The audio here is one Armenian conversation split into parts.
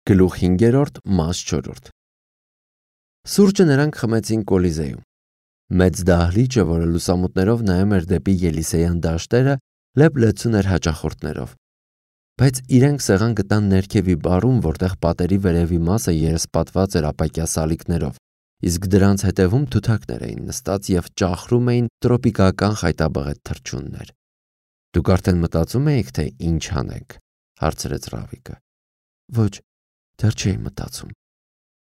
Գլուխ 5, մաս 4 Սուրճը նրանք խմեցին Կոլիզեում։ Մեծ դահլիճը, որը լուսամուտներով նայում էր դեպի Ելիսեյան դաշտերը, լեփ-լեցուն էր հաճախորդներով։ Բայց իրենք սեղան գտան ներքևի բարում, որտեղ պատերի վերևի մասը երեսպատված էր ապակյա սալիկներով, իսկ դրանց հետևում թութակներ էին նստած եւ ճախրում էին տրոպիկական խայտաբղետ թռչուններ։ Դուք արդեն մտածում եք, թե ինչ անենք, հարցրեց Ռավիկը։ Ոչ, դեռ չէի մտածում։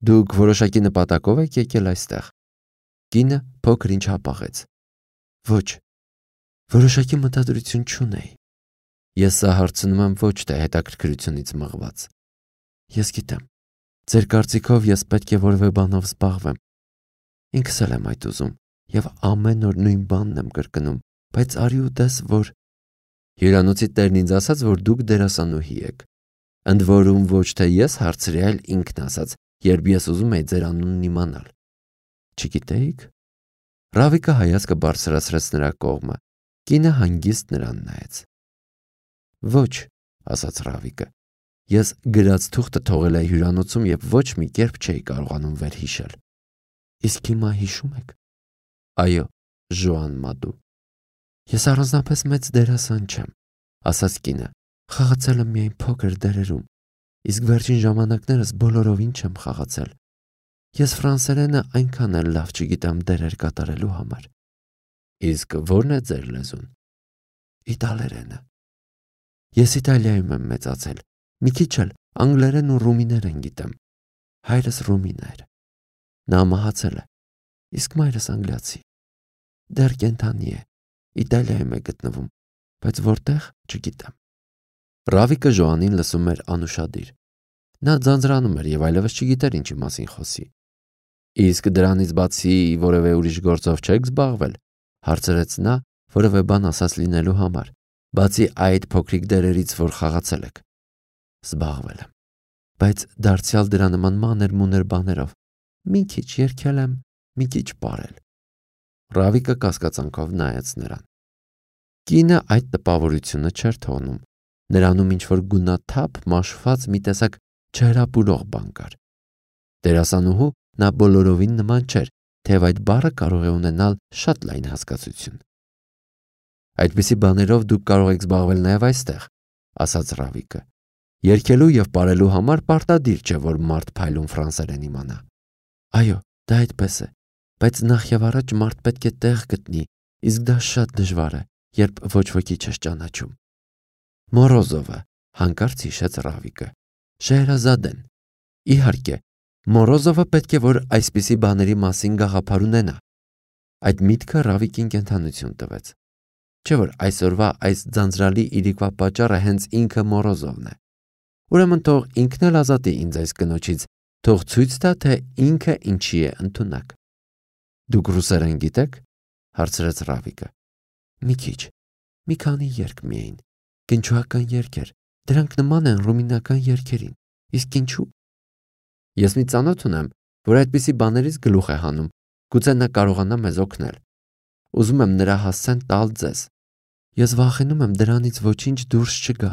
Դուք որոշակի նպատակով եք եկել այստեղ։ Կինը փոքր ինչ հապաղեց։ Ոչ, որոշակի մտադրություն չունեի։ Ես սա հարցնում եմ ոչ թե հետաքրքրությունից մղված։ Ես գիտեմ, ձեր կարծիքով ես պետք է որևէ բանով զբաղվեմ։ Ինքս էլ եմ այդ ուզում եւ ամեն օր նույն բանն եմ կրկնում, բայց արի ու տես, որ հյուրանոցի տերն ինձ ասաց, որ դուք դերասանուհի եք։ Ընդ որում ոչ թե ես հարցրի, այլ ինքն ասաց, երբ ես ուզում էի ձեր անունն իմանալ։ Չգիտեիք։ Ռավիկը հայացքը բարձրացրեց նրա կողմը։ Կինը հանգիստ նրան նայեց։ Ոչ, ասաց Ռավիկը։ Ես գրած թուղթը թողել էի հյուրանոցում եւ ոչ մի կերպ չէի կարողանում վերհիշել։ Իսկ հիմա հիշում եք։ Այո, Ժոան Մադու։ Ես առանձնապես մեծ դերասան չեմ, ասաց կինը։ Խաղացել եմ միայն փոքր դերերում, իսկ վերջին ժամանակներս բոլորովին չեմ խաղացել։ Ես ֆրանսերենը այնքան էլ լավ չգիտեմ դերեր կատարելու համար։ Իսկ ո՞րն է ձեր լեզուն։ Իտալերենը։ Ես Իտալիայում եմ մեծացել, մի քիչ էլ անգլերեն ու ռումիներեն գիտեմ։ Հայրս ռումին էր։ Նա մահացել է, իսկ մայրս անգլիացի։ Դեռ կենդանի է, Իտալիայում է գտնվում, բայց որտեղ չգիտեմ։ Ռավիկը Ժոանին լսում էր անուշադիր։ Նա ձանձրանում էր եւ այլևս չգիտեր ինչի մասին խոսի։ Իսկ դրանից բացի որևէ ուրիշ գործով չեք զբաղվել, հարցրեց նա, որևէ բան ասած լինելու համար, բացի այդ փոքրիկ դերերից, որ խաղացել եք։ Զբաղվել եմ, բայց դարձյալ դրա նման մանր-մուներ բաներով։ Մի քիչ երգել եմ, մի քիչ պարել։ Ռավիկը կասկածանքով նայեց նրան։ Կինը այդ տպավորությունը չէր թողնում։ Նրանում ինչ-որ գունաթափ մաշված մի տեսակ չհրապուրող բան կար։ Դերասանուհու նա բոլորովին նման չէր, թեև այդ բառը կարող է ունենալ շատ լայն հասկացություն։ Այդպիսի բաներով դուք կարող եք զբաղվել նաև այստեղ, ասաց Ռավիկը։ Երգելու եւ պարելու համար պարտադիր չէ, որ մարդ փայլուն ֆրանսերեն իմանա։ Այո, դա այդպես է, բայց նախ եւ առաջ մարդ պետք է տեղ գտնի, իսկ դա շատ դժվար է, երբ ոչ ոքի չես ճանաչում։ Մորոզովը, հանկարծ հիշեց Ռավիկը։ Շեհրազադեն։ Իհարկե, Մորոզովը պետք է որ այսպիսի բաների մասին գաղափար ունենա։ Այդ միտքը Ռավիկին կենթանություն տվեց։ Չէ՞ որ այսօրվա այս ձանձրալի իրիկվա պատճառը հենց ինքը Մորոզովն է։ Ուրեմն թող ինքն էլ ազատի ինձ այս կնոջից, թող ցույց տա, թե ինքը ինչի է ընդունակ։ Դուք ռուսերեն գիտեք, հարցրեց Ռավիկը։ Մի քիչ, մի քանի երգ միայն, կնչուական երգեր, դրանք նման են ռումինական երգերին, իսկ ինչու։ Ես մի ծանոթ ունեմ, որ այդպիսի բաներից գլուխ է հանում, գուցե նա կարողանա մեզ օգնել։ Ուզում եմ նրա հասցեն տալ ձեզ։ Ես վախենում եմ դրանից ոչինչ դուրս չգա։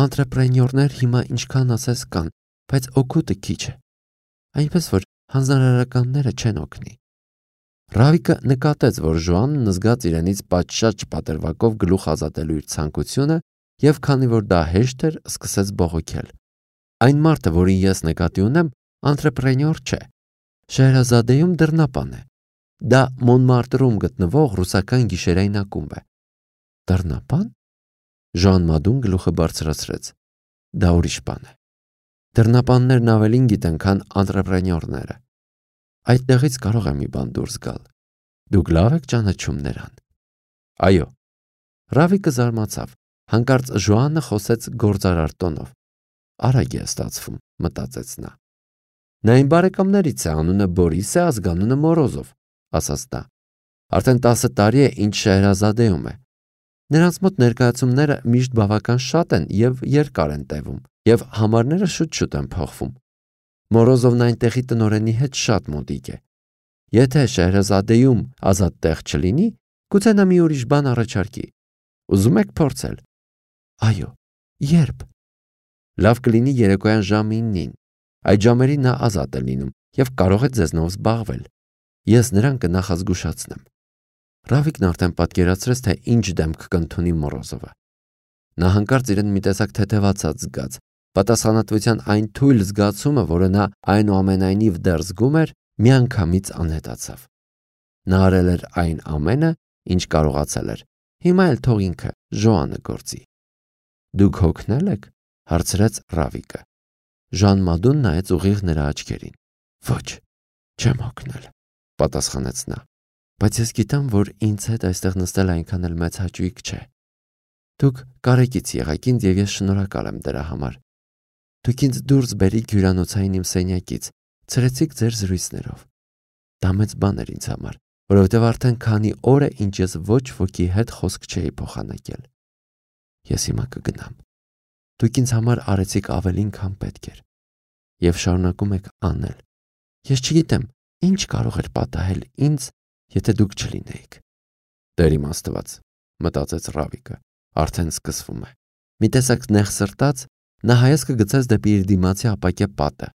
Անտրեպրենյորներ հիմա ինչքան ասես կան, բայց օգուտը քիչ է։ Այնպես որ հանձնարարականները չեն օգնի։ Ռավիկը նկատեց, որ Ժոանն զգաց իրենից պատշաճ պատրվակով գլուխ ազատելու իր ցանկությունը եւ քանի որ դա հեշտ էր, սկսեց բողոքել։ Այն մարդը, որին ես նկատի ունեմ, անտրեպրենյոր չէ։ Շեհրազադեում դռնապան է։ Դա Մոնմարտրում գտնվող ռուսական գիշերային ակումբ է։ Դռնապան։ Ժան Մադուն գլուխը բարձրացրեց։ Դա ուրիշ բան է։ Դռնապաններն ավելին գիտեն, քան անտրեպրենյորները։ Այդտեղից կարող է մի բան դուրս գալ։ Դուք լավ եք ճանաչում նրան։ Այո։ Ռավիկը զարմացավ։ Հանկարծ Ժոանը խոսեց գործարար տոնով։ Արագ է ստացվում, մտածեց նա։ Նա իմ բարեկամներից է, անունը Բորիս է, ազգանունը Մորոզով, ասաց նա։ Արդեն 10 տարի է, ինչ Շեհրազադեում է։ Նրանց մոտ ներկայացումները միշտ բավական շատ են եւ երկար են տևում, եւ համարները շուտ-շուտ են փոխվում։ Մորոզովն այնտեղի տնօրենի հետ շատ մոտիկ է։ Եթե Շեհրազադեում ազատ տեղ չլինի, գուցե նա մի ուրիշ բան առաջարկի։ Ուզում եք փորձել։ Այո, երբ։ Լավ կլինի երեկոյան ժամը 9-ին։ Այդ ժամերի նա ազատ է լինում եւ կարող է ձեզնով զբաղվել։ Ես նրան կնախազգուշացնեմ։ Ռավիկն արդեն պատկերացրեց, թե ինչ դեմք կընդունի Մորոզովը։ Նա հանկարծ իրեն մի տեսակ թեթևացած զգաց։ Պատասխանատվության այն թույլ զգացումը, որը նա այնուամենայնիվ դեռ զգում էր, միանգամից անհետացավ։ Նա արել էր այն ամենը, ինչ կարողացել էր։ Հիմա էլ թող ինքը Ժոանը գործի։ Դուք հոգնել եք, հարցրեց Ռավիկը։ Ժան Մադուն նայեց ուղիղ նրա աչքերին։ Ոչ, չեմ հոգնել, պատասխանեց նա։ Բայց ես գիտեմ, որ ինձ հետ այստեղ նստել այնքան էլ մեծ հաճույք չէ։ Դուք կարեկից եղաք ինձ եւ ես շնորհակալ եմ դրա համար։ Դուք ինձ դուրս բերիք հյուրանոցային իմ սենյակից, ցրեցիք ձեր զրույցներով։ Դա մեծ բան էր ինձ համար, որովհետև արդեն քանի օր է, ինչ ես ոչ ոքի հետ խոսք չէի փոխանակել։ Ես հիմա կգնամ։ Դուք ինձ համար արեցիք ավելին, քան պետք էր, եւ շարունակում եք անել։ Ես չգիտեմ, ինչ կարող էր պատահել ինձ, եթե դուք չլինեիք։ Տեր իմ Աստված, մտածեց Ռավիկը, արդեն սկսվում է։ Մի տեսակ նեղ սրտած նա հայացքը գցեց դեպի իր դիմացի ապակե պատը։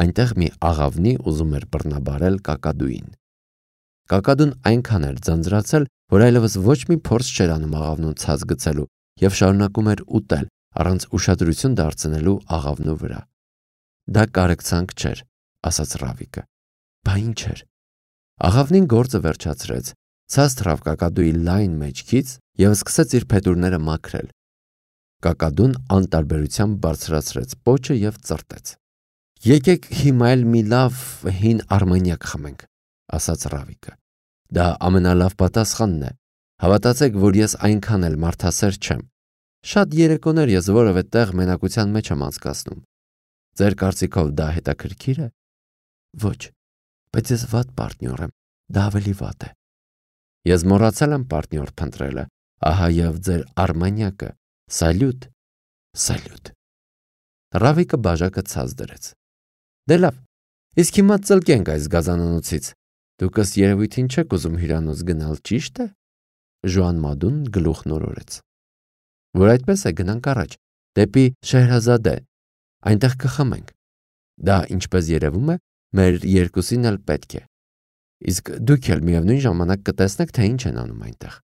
Այնտեղ մի աղավնի ուզում էր բռնաբարել կակադուին։ Կակադուն այնքան էր ձանձրացել, որ այլևս ոչ մի փորձ չէր անում աղավնուն ցած գցելու եւ շարունակում էր ուտել, առանց ուշադրություն դարձնելու աղավնու վրա։ Դա կարեկցանք չէր, ասաց Ռավիկը։ Բա ինչ էր։ Աղավնին գործը վերջացրեց, ցած թռավ կակադուի լայն մեջքից եւ սկսեց իր փետուրները մաքրել։ Կակադուն անտարբերությամբ բարձրացրեց պոչը եւ ծռտեց։ Եկեք հիմա էլ մի լավ հին արմանյակ խմենք, ասաց Ռավիկը։ Դա ամենալավ պատասխանն է։ Հավատացեք, որ ես այնքան էլ մարդասեր չեմ։ Շատ երեկոներ ես որևէ տեղ մենակության մեջ եմ անցկացնում։ Ձեր կարծիքով դա հետաքրքիր է։ Ոչ, բայց ես վատ պարտնյոր եմ, դա ավելի վատ է։ Ես մոռացել եմ պարտնյոր փնտրելը, ահա եւ ձեր արմանյակը։ Սալյուտ, սալյուտ։ Ռավիկը բաժակը ցած դրեց։ Դե լավ, իսկ հիմա ծլկենք այս գազանանոցից։ Դուք ըստ երևույթին չեք ուզում հյուրանոց գնալ, ճիշտ է։ Ժոան Մադուն գլուխ նորորեց։ Որ այդպես է, գնանք առաջ, դեպի Շեհրազադե, այնտեղ կխմենք։ Դա, ինչպես երևում է, մեր երկուսին էլ պետք է։ Իսկ դուք էլ միևնույն ժամանակ կտեսնեք, թե ինչ են անում այնտեղ։